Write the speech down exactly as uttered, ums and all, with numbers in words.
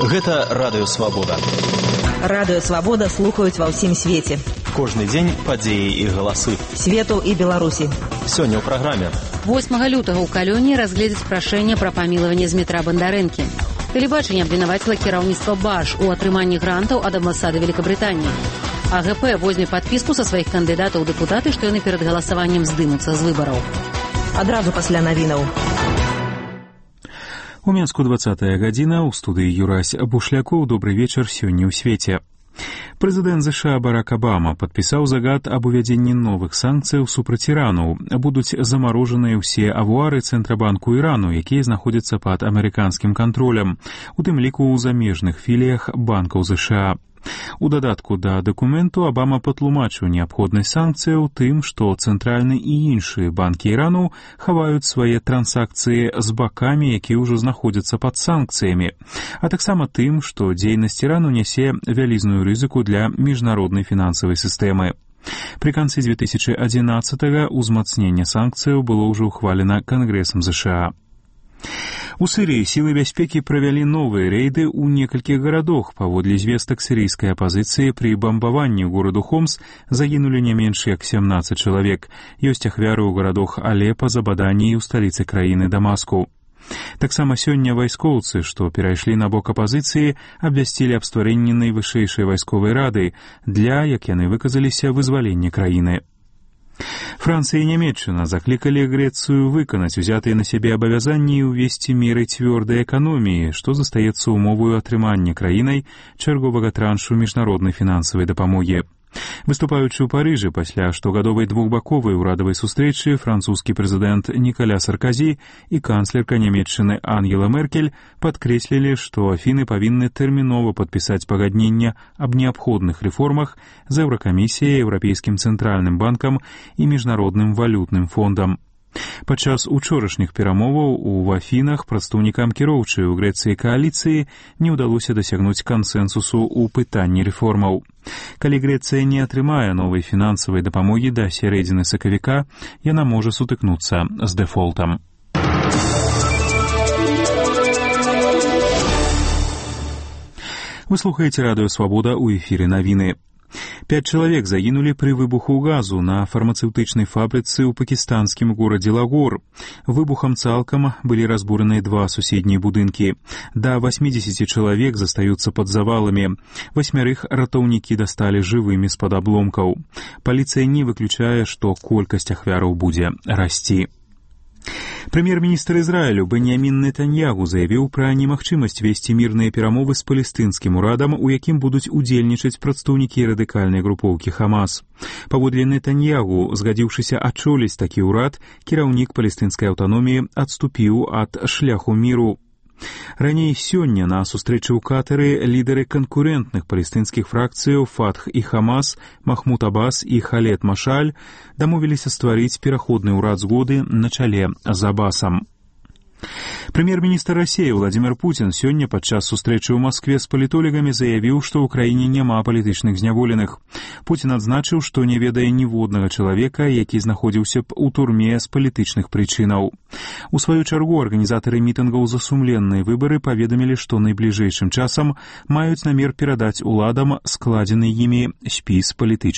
Гэта Радыё Свабода. Радыё Свабода слухаюць ва ўсім свеце. Кожны дзень падзеі і галасы. Свету і Беларусі. Сёння ў праграме. восьмага лютага ў Калёні разгледзяць прашэнне пра памілаванне Змітра Бандарэнкі. Тэлебачанне абвінаваціла кіраўніцтва БАШ у атрыманні грантаў ад амбасады Великабрытаніі. АГП возьме падпіску са сваіх кандыдатаў у дэпутаты, што яны перад галасаваннем здымуцца з выбараў. Адразу пасля навінаў. У Мінску двадцатая гадзіна, у студыі Юрась Бушлякоў. Добрый вечар сёння ў свеце. Прэзідэнт ЗША Барак Абама падпісаў загад аб увядзенні новых санкцыяў супраць Ірану. Будуць замарожаныя ўсе авуары Цэнтрабанку Ірану, якія знаходзяцца пад амерыканскім кантролем, у тым ліку ў замежных філіях банкаў ЗША. У дадатку да дакументу Абама патлумачыў неабходнасць санкцыяў тым, што цэнтральны і іншыя банкі Ірану хаваюць свае трансакцыі з бакамі, якія ўжо знаходзяцца пад санкцыямі, а таксама тым, што дзейнасць Ірану нясе вялізную рызыку для міжнароднай фінансавай сістэмы. Пры канцы две тысячи адзінаццатага ўзмацненне санкцыяў было ўжо ўхвалена Кангрэсам ЗША. У Сірыі сілы бяспекі правялі новыя рэйды ў некалькіх гарадах. Паводле звестак сірыйскай апазіцыі, пры бамбаванні гораду Хомс загінулі не менш як сямнаццаць чалавек. Ёсць ахвяры ў гарадах Алепа, Забадані і ў сталіцы краіны Дамаску. Таксама сёння вайскоўцы, што перайшлі на бок апазіцыі, абвясцілі аб стварэнні найвышэйшай вайсковай рады для, як яны выказаліся, вызвалення краіны. Францыя і Нямецчына заклікалі Грэцыю выканаць узятыя на сябе абавязанні і ўвесці меры цвёрдай эканоміі, што застаецца умоваю атрымання краінай чарговага траншу міжнароднай фінансавай дапамогі. Выступаючы ў Парыжы пасля штогадовай двухбаковай урадавай сустрэчы, французскі прэзідэнт Нікаля Сарказі і канцлерка Нямецчыны Ангела Меркель падкрэслілі, што Афіны павінны тэрмінова падпісаць пагадненне аб неабходных рэформах з Еўракамісіяй, Еўрапейскім цэнтральным банкам і міжнародным валютным фондам. Падчас учорашніх перамоваў у Афінах прадстаўнікам кіроўчай у Грэцыі кааліцыі не ўдалося дасягнуць кансэнсусу ў пытанні рэформаў. Калі Грэцыя не атрымае новай фінансавай дапамогі да сярэдзіны сакавіка, яна можа сутыкнуцца з дэфолтам. Вы слухаеце Радыё Свабода, у эфіры навіны. Пяць чалавек загінулі пры выбуху газу на фармацэўтычнай фабрыцы ў пакістанскім горадзе Лагор. Выбухам цалкам былі разбураныя два суседнія будынкі. Да восьмідзесяці чалавек застаюцца пад заваламі. Васьмярых ратоўнікі дасталі жывымі з-пад абломкаў. Паліцыя не выключае, што колькасць ахвяраў будзе расці. Прэм'ер-міністр Ізраілю Беньямін Нетаньягу заявіў пра немагчымасць весці мірныя перамовы з палестынскім урадам, у якім будуць удзельнічаць прадстаўнікі радыкальнай групоўкі Хамас. Паводле Нетаньягу, згадзіўшыся ачоліць такі ўрад, кіраўнік палестынскай аўтаноміі адступіў ад шляху міру. Раней сёння на сустрэчы ў Катары лідары канкурэнтных палестынскіх фракцыяў Фатх і Хамас, Махмуд Аббас і Халед Машаль дамовіліся стварыць пераходны ўрад згоды на чале з Аббасам. Прэм'ер-міністр Расіі Владзімір Пуцін сёння падчас сустрэчы ў Маскве з палітолагамі заявіў, што ў краіне няма палітычных зняволеных. Пуцін адзначыў, што не ведае ніводнага чалавека, які знаходзіўся б у турме з палітычных прычынаў. У сваю чаргу арганізатары мітынгаў за сумленныя выбары паведамілі, што найбліжэйшым часам маюць намер перадаць уладам складзены імі спіс палітычных